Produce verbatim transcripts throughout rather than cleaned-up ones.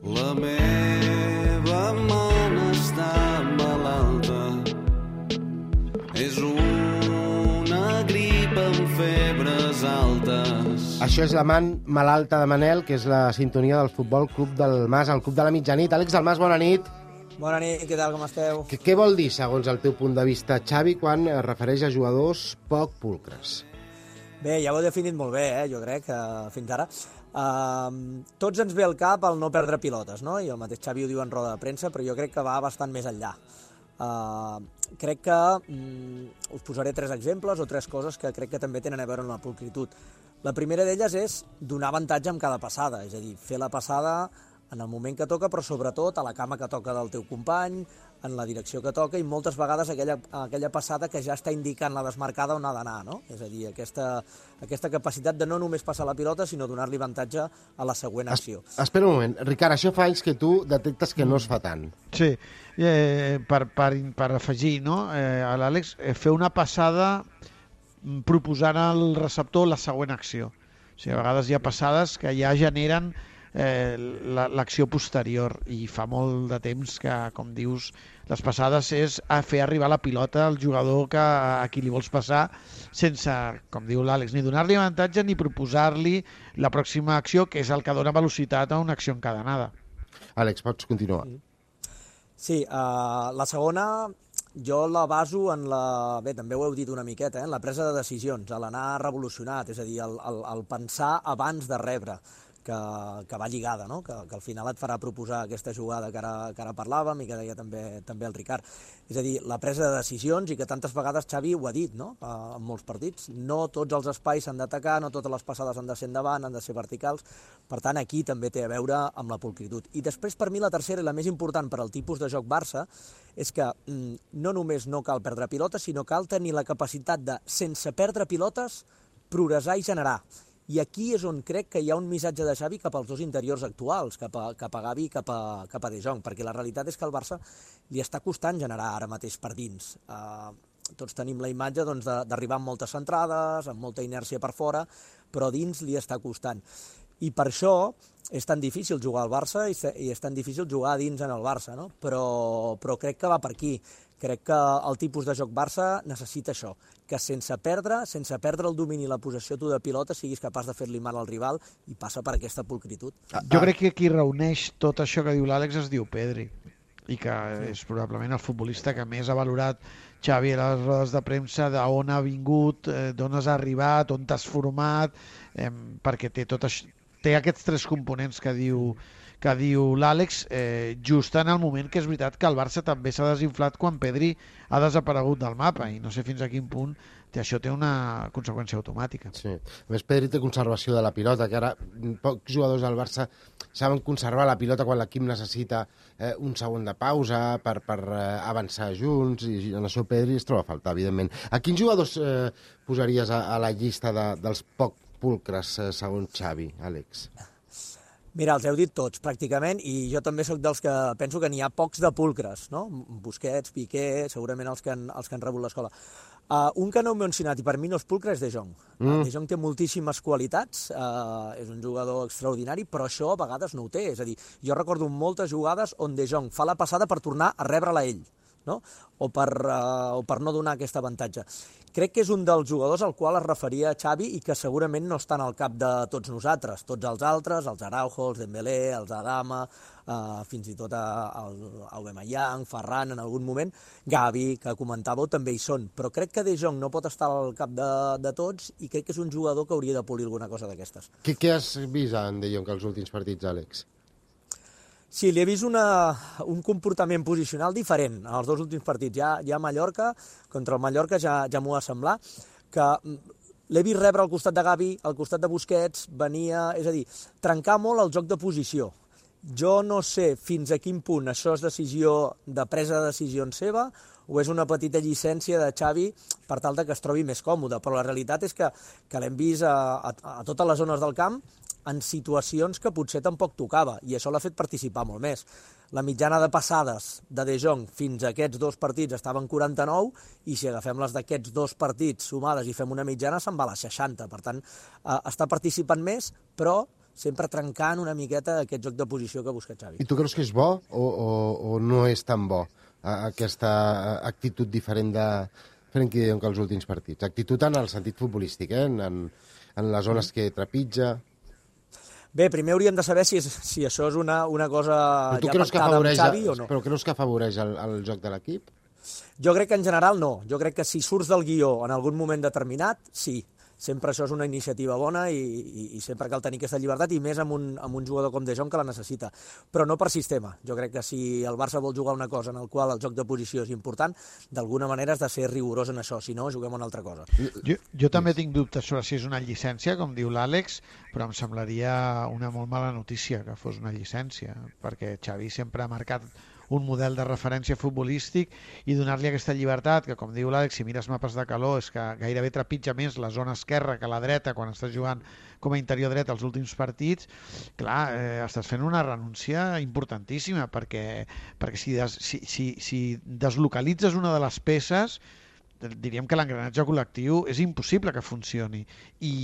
La meva mana està malalta, és una grip amb febres altes. Això és la man malalta de Manel, que és la sintonia del Futbol Club del Mas, el Club de la Mitjanit. Àlex del Mas, bona nit. Bona nit, què tal, com esteu? Què, què vol dir, segons el teu punt de vista, Xavi, quan es refereix a jugadors poc pulcres? Bé, ja ho he definit molt bé, eh, jo crec, uh, fins ara. Uh, tots ens ve al cap el no perdre pilotes, no? I el mateix Xavi ho diu en roda de premsa, però jo crec que va bastant més enllà. Uh, crec que um, us posaré tres exemples o tres coses que crec que també tenen a veure amb la pulcritud. La primera d'elles és donar avantatge amb cada passada, és a dir, fer la passada en el moment que toca, però sobretot a la cama que toca del teu company, en la direcció que toca, i moltes vegades aquella, aquella passada que ja està indicant la desmarcada on ha d'anar, no? És a dir, aquesta, aquesta capacitat de no només passar la pilota, sinó donar-li avantatge a la següent acció. Es, espera un moment. Ricard, això fa anys que tu detectes que no es fa tant. Sí, eh, per, per, per afegir, no? eh, a l'Àlex, eh, fer una passada proposant al receptor la següent acció. O sigui, a vegades hi ha passades que ja generen eh, l'acció posterior, i fa molt de temps que, com dius, les passades és a fer arribar la pilota al jugador que, a qui li vols passar, sense, com diu l'Àlex, ni donar-li avantatge ni proposar-li la pròxima acció, que és el que dona velocitat a una acció encadenada. Àlex, pots continuar. Sí, uh, la segona jo la baso en la... Bé, també ho heu dit una miqueta, eh? En la presa de decisions, a l'anar revolucionat, és a dir, el, el, el pensar abans de rebre, que, que va lligada, no? que, que al final et farà proposar aquesta jugada que ara, que ara parlàvem i que deia també, també el Ricard. És a dir, la presa de decisions, i que tantes vegades Xavi ho ha dit, no? En molts partits. No tots els espais s'han d'atacar, no totes les passades han de ser endavant, han de ser verticals. Per tant, aquí també té a veure amb la pulcritud. I després, per mi, la tercera i la més important per al tipus de joc Barça és que mm, no només no cal perdre pilotes, sinó cal tenir la capacitat de, sense perdre pilotes, progressar i generar. I aquí és on crec que hi ha un missatge de Xavi cap als dos interiors actuals, cap a, cap a Gavi i cap a, cap a De Jong, perquè la realitat és que al Barça li està costant generar ara mateix per dins. Uh, tots tenim la imatge doncs, d'arribar amb moltes centrades, amb molta inèrcia per fora, però dins li està costant. I per això és tan difícil jugar al Barça i és tan difícil jugar dins en el Barça, no? Però, però crec que va per aquí. Crec que el tipus de joc Barça necessita això, que sense perdre, sense perdre el domini i la possessió tu de pilota, siguis capaç de fer-li mal al rival, i passa per aquesta pulcritud. Jo crec que qui reuneix tot això que diu l'Àlex es diu Pedri, i que és probablement el futbolista que més ha valorat Xavi a les rodes de premsa, d'on ha vingut, d'on has arribat, on t'has format, eh, perquè té, tot això, té aquests tres components que diu que diu l'Àlex, eh, just en el moment que és veritat que el Barça també s'ha desinflat quan Pedri ha desaparegut del mapa, i no sé fins a quin punt té, això té una conseqüència automàtica. Sí. A més, Pedri té conservació de la pilota, que ara pocs jugadors del Barça saben conservar la pilota quan l'equip necessita eh, un segon de pausa per, per eh, avançar junts, i en això Pedri es troba a faltar, evidentment. A quins jugadors eh, posaries a, a la llista de, dels poc pulcres, eh, segons Xavi, Àlex? Mira, els heu dit tots, pràcticament, i jo també sóc dels que penso que n'hi ha pocs de pulcres, no? Busquets, Piqué, segurament els que han, els que han rebut l'escola. Uh, un que no heu mencionat, i per mi no és pulcre, és De Jong. Mm. Uh, De Jong té moltíssimes qualitats, uh, és un jugador extraordinari, però això a vegades no ho té. És a dir, jo recordo moltes jugades on De Jong fa la passada per tornar a rebre-la ell, no? O per, uh, o per no donar aquest avantatge. Crec que és un dels jugadors al qual es referia Xavi i que segurament no estan al cap de tots nosaltres. Tots els altres, els Araujo, els Dembélé, els Adama, eh, fins i tot el Aubameyang, Ferran en algun moment, Gavi, que comentàveu, també hi són. Però crec que De Jong no pot estar al cap de, de tots, i crec que és un jugador que hauria de polir alguna cosa d'aquestes. Què, què has vist en De Jong als últims partits, Àlex? Sí, li he vist una, un comportament posicional diferent en els dos últims partits. Ja, ja a Mallorca, contra el Mallorca ja, ja m'ho va semblar, que l'he vist rebre al costat de Gavi, al costat de Busquets, venia, és a dir, trencar molt el joc de posició. Jo no sé fins a quin punt això és decisió de presa de decisions seva o és una petita llicència de Xavi per tal de que es trobi més còmode, però la realitat és que, que l'hem vist a, a, a totes les zones del camp en situacions que potser tampoc tocava, i això l'ha fet participar molt més. La mitjana de passades de De Jong fins a aquests dos partits estava en quaranta-nou, i si agafem les d'aquests dos partits sumades i fem una mitjana se'n va a les seixanta. Per tant, eh, està participant més, però sempre trencant una miqueta aquest joc de posició que busca Xavi. I tu creus que és bo o, o, o no és tan bo aquesta actitud diferent de Frenkie de Jong que els últims partits? Actitud en el sentit futbolístic, eh? en, en, en les zones que trepitja... Bé, primer hauríem de saber si, és, si això és una, una cosa ja pactada amb Xavi o no. Però creus que afavoreix el, el joc de l'equip? Jo crec que en general no. Jo crec que si surts del guió en algun moment determinat, sí. Sempre això és una iniciativa bona i, i, i sempre cal tenir aquesta llibertat, i més amb un, amb un jugador com De Jong que la necessita. Però no per sistema. Jo crec que si el Barça vol jugar una cosa en el qual el joc de posició és important, d'alguna manera has de ser rigorós en això, si no, juguem una altra cosa. Jo, jo també tinc dubtes sobre si és una llicència, com diu l'Àlex, però em semblaria una molt mala notícia que fos una llicència, perquè Xavi sempre ha marcat un model de referència futbolístic i donar-li aquesta llibertat, que com diu l'Àlex, si mires mapes de calor, és que gairebé trepitja més la zona esquerra que la dreta quan estàs jugant com a interior dret als últims partits. Clar, eh, estàs fent una renúncia importantíssima, perquè, perquè si, des, si, si, si deslocalitzes una de les peces, diríem que l'engranatge col·lectiu és impossible que funcioni, i,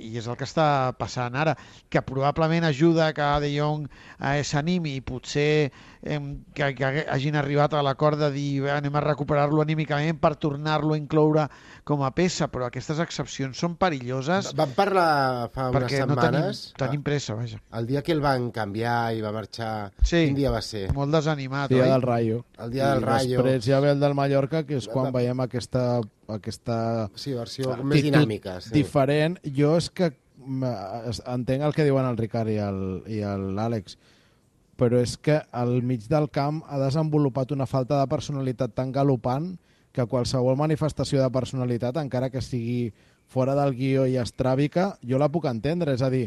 i és el que està passant ara, que probablement ajuda que De Jong eh, s'animi i potser eh, que, que hagin arribat a l'acord de dir anem a recuperar-lo anímicament per tornar-lo a incloure com a peça, però aquestes excepcions són perilloses. Vam parlar fa unes setmanes... No tenim, tenim pressa, vaja. El dia que el van canviar i va marxar, sí, quin dia va ser? Molt desanimat, el dia oi? del Rayo. El dia del Rayo. I després ja ve el del Mallorca, que és quan veiem aquesta... aquesta sí, versió més dinàmica. Sí. Diferent. Jo és que entenc el que diuen el Ricard i l'Àlex, però és que al mig del camp ha desenvolupat una falta de personalitat tan galopant que qualsevol manifestació de personalitat, encara que sigui fora del guió i estràbica, jo la puc entendre. És a dir,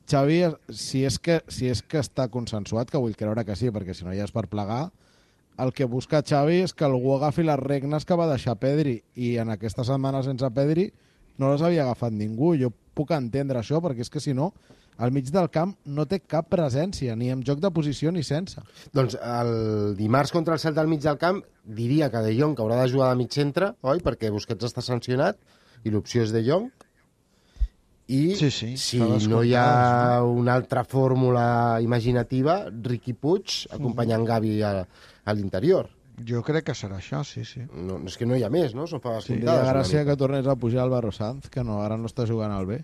Xavi, si és que, si és que està consensuat, que vull creure que sí, perquè si no ja és per plegar, el que busca Xavi és que algú agafi les regnes que va deixar Pedri, i en aquesta setmana sense Pedri no les havia agafat ningú. Jo puc entendre això, perquè és que si no, al mig del camp no té cap presència, ni en joc de posició ni sense. Doncs el dimarts contra el Celta al mig del camp diria que De Jong que haurà de jugar de mig centre, oi? Perquè Busquets està sancionat i l'opció és De Jong. I sí, sí, si no hi ha una altra fórmula imaginativa, Riqui Puig acompanyant mm-hmm. Gavi a, a l'interior. Jo crec que serà això, sí, sí. No, és que no hi ha més, no? Són faves sí, comptades. Sí, gràcia que tornés a pujar Álvaro Sanz, que no, ara no està jugant al B.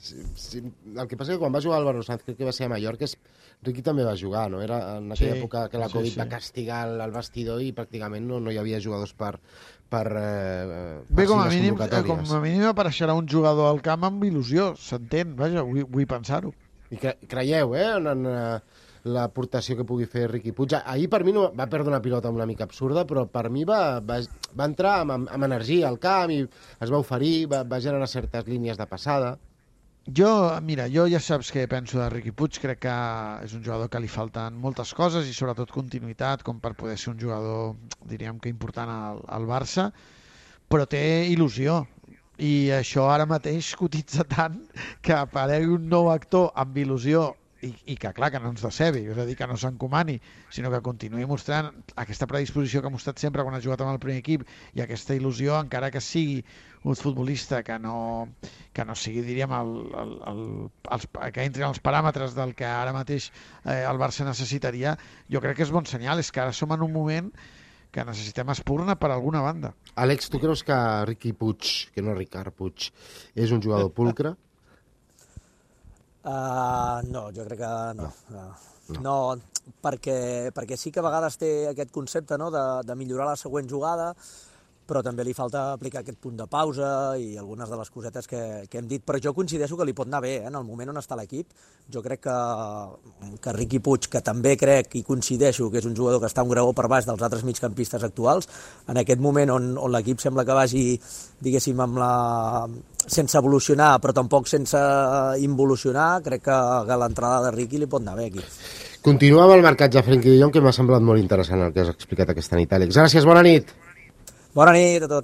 sí, sí, el que passa és que quan va jugar Álvaro Sanz, crec que va ser a Mallorca, és... Riqui també va jugar, no? Era en aquella sí, època que la Covid sí, sí. va castigar el vestidor i pràcticament no, no hi havia jugadors per... per, eh, per Bé, com a, mínim, com a mínim apareixerà un jugador al camp amb il·lusió, s'entén, vaja, vull, vull pensar-ho. I cre creieu, eh, en, en l'aportació que pugui fer Riqui Puig. Ahir per mi no, va perdre una pilota una mica absurda, però per mi va, va, va entrar amb, amb energia al camp i es va oferir, va, va generar certes línies de passada. Jo, mira, jo ja saps què penso de Riqui Puig, crec que és un jugador que li falten moltes coses i sobretot continuïtat, com per poder ser un jugador, diríem que important al, al Barça, però té il·lusió, i això ara mateix cotitza tant que aparegui un nou actor amb il·lusió i, i que, clar, que no ens decebi, és a dir, que no s'encomani, sinó que continuï mostrant aquesta predisposició que ha mostrat sempre quan ha jugat amb el primer equip i aquesta il·lusió, encara que sigui un futbolista que no, que no sigui, diríem, el, el, el, els, que entri en els paràmetres del que ara mateix eh, el Barça necessitaria. Jo crec que és bon senyal, és que ara som en un moment que necessitem espurna per alguna banda. Àlex, tu creus que Riqui Puig, que no Ricard Puig, és un jugador pulcre? Uh, no, jo crec que no. No, no. no perquè, perquè sí que a vegades té aquest concepte, no?, de, de millorar la següent jugada, però també li falta aplicar aquest punt de pausa i algunes de les cosetes que, que hem dit. Però jo coincideixo que li pot anar bé, eh? En el moment on està l'equip. Jo crec que, que Riqui Puig, que també crec i coincideixo que és un jugador que està un graó per baix dels altres migcampistes actuals, en aquest moment on, on l'equip sembla que vagi, diguéssim, amb la... sense evolucionar, però tampoc sense involucionar, crec que, que l'entrada de Riqui li pot anar bé aquí. Continuem amb el marcatge de Frenkie de Jong, que m'ha semblat molt interessant el que has explicat aquesta nit, Àlex. Gràcies, bona nit. Bona nit a tots.